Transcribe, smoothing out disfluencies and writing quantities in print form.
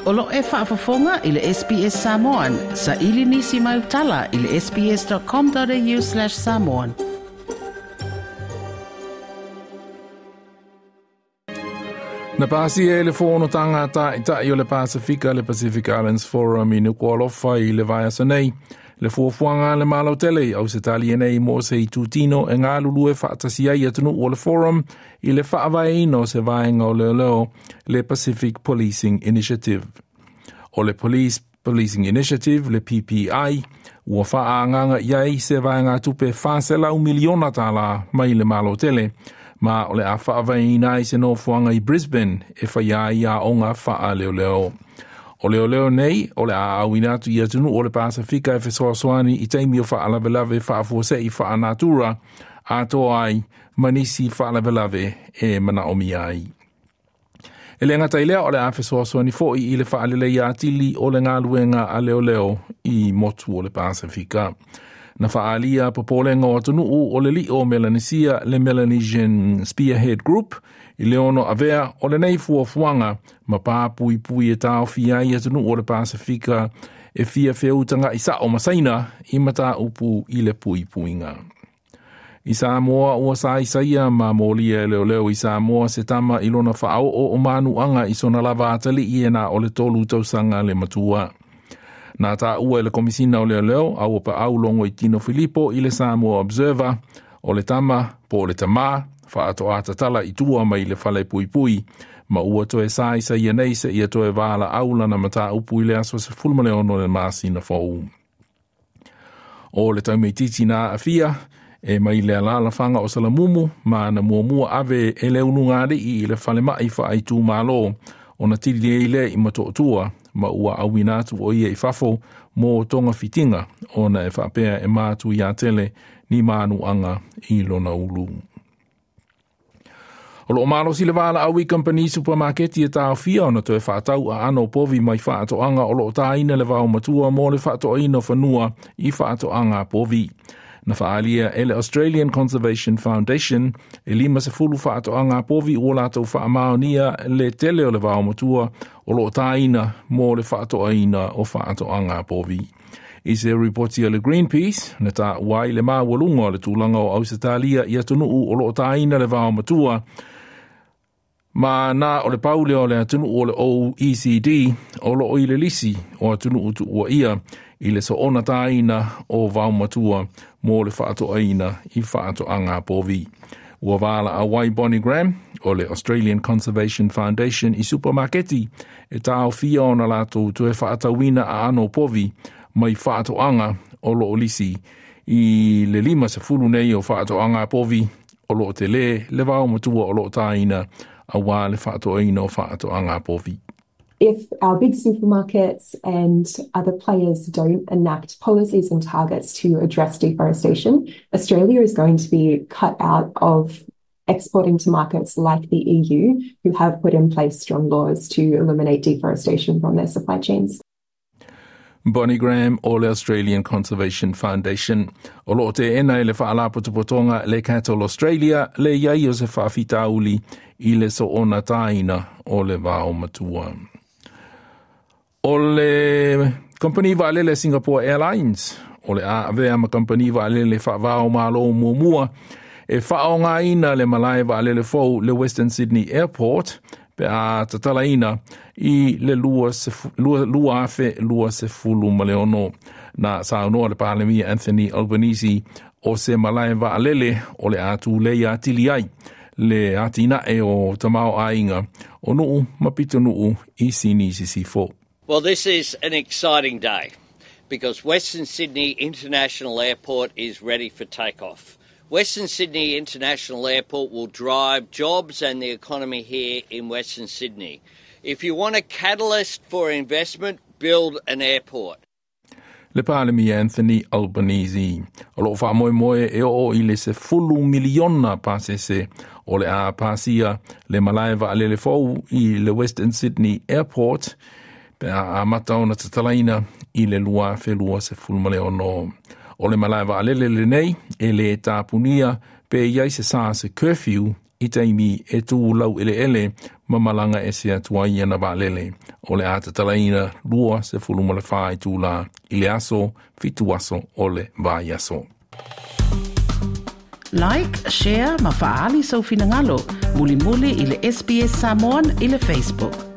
O lo e faafofoga i le SBS Samoan. Saili nisi mau tala i le sbs.com.au/samoan. Na pasia e le fonotaga a Ta'ita'i o le Pasefika le Pacific Islands Forum i Nuku'alofa i le vaiaso nei, le fuafuaga a le Malo tele i Ausetalia nei mo se itutino e galulue faatasi ai atunuu o le Forum i le faavaeina o se vaega o leoleo le Pacific Policing Initiative. O le Police Policing Initiative, le PPI, ua faaagaaga i ai se vaegatupe $400 miliona tālā mai le Malo tele, ma o le a faavaeina ai se nofoaga i Brisbane e faia ai aoga faaleoleo. O leoleo nei o le a auina atu i atunuu o le Pasefika e fesoasoani i taimi o faalavelave faafuasei faanatura atoa ai ma nisi faalavelave e manaomia ai. E le gata i lea o le a fesoasoani foi i le faaleleia atili o le galuega a leoleo i motu o le Pasefika. Na faaalia popolega o atunuu o le li'o o Melanesia le Melanesian Spearhead Group i le ono avea o lenei fuafuaga ma papuipui e taofia ai atunuu o le Pasefika e fia feutaga'i sa'o ma Saina i mataupu i le puipuiga. I Samoa ua saisaia ma molia e leoleo i Samoa se tama i lona faaoo o manuaga i sona lava atalii e na o le 3 tausaga le matua. Na taua e le Komisina o Leoleo a ua paau Logoitino Filipo i le Samoa Observer o le tama po o le tamā faatoa tatala i tua mai le fale puipui ma ua toe saisaia nei seia toe valaau lana mataupu i le aso 16 le masina fou. O le taumaititi na aafia e mai le alaalafaga o Salamumu ma na muamua ave e le ulugalii i le falemai faaitumalo ona tili ai lea i Motootua ma ua auina atu o ia i fafo mo togafitiga ona e faapea e matuia tele ni manuaga i lona ulu. O loo malosi le valaau i kamupani supamaketi e taofia ona toe faatau aano o povi mai faatoaga o loo taina le vaomatua mo le faatoaina o fanua i faatoaga povi. Na faaalia e le Australian Conservation Foundation e 50 faatoaga povi ua latou faamaonia le tele o le vaomatua o loo taina mo le faatoaina o faatoaga povi. I se ripoti a le Greenpeace, na taua ai le maualuga o le tulaga o Ausetalia i atunuu o loo taina le vaomatua, ma na o le pau lea o le atunuu o le OECD o loo i le lisi o atunuu tuuaia i le soona taina o vaomatua mo le faatoaina i faatoaga povi. Ua valaau ai Bonnie Graham o le Australian Conservation Foundation i supamaketi e taofia ona latou toe faatauina aano o povi mai faatoaga o loo lisi i le 50 nei o faatoaga povi o loo tele le vaomatua o loo taina auā le faatoaina o faatoaga povi. If our big supermarkets and other players don't enact policies and targets to address deforestation, Australia is going to be cut out of exporting to markets like the EU, who have put in place strong laws to eliminate deforestation from their supply chains. Bonnie Graham o le Australian Conservation Foundation. O loo teena e le Faalapotopotoga le Cattle Australia le i ai o se faafitauli i le soona taina o le vaomatua. O le Kamupani Vaalele Singapore Airlines o le a avea ma kamupani vaalele faava-o-Malo muamua e faaaogaina le malae vaalele fou le Western Sydney Airport pe a tatalaina i le 2026. Na saunoa le Palemia Anthony Albanese o se malae vaalele o le a tulei atili ai le atinae o tamaoaiga o nuu ma pitonuu i Sini Sisifo. Well, this is an exciting day because Western Sydney International Airport is ready for takeoff. Western Sydney International Airport will drive jobs and the economy here in Western Sydney. If you want a catalyst for investment, build an airport. Le Palemia Anthony Albanese. O loo faamoemoe e oo i le 10 miliona pasese o le a pasia le malae vaalele fou i le Western Sydney Airport pe a amata ona tatalaina i le 2026. O le malae vaalele lenei e le tapunia pe i ai se sa se curfew i taimi e tu laueleele ma malaga ese atu ai ana vaalele. O le a tatalaina 24 itulā i le aso, 7 aso o le vaiaso. Like, share ma fa'aali sou finagalo. Mulimuli i le SBS Samoan i le Facebook.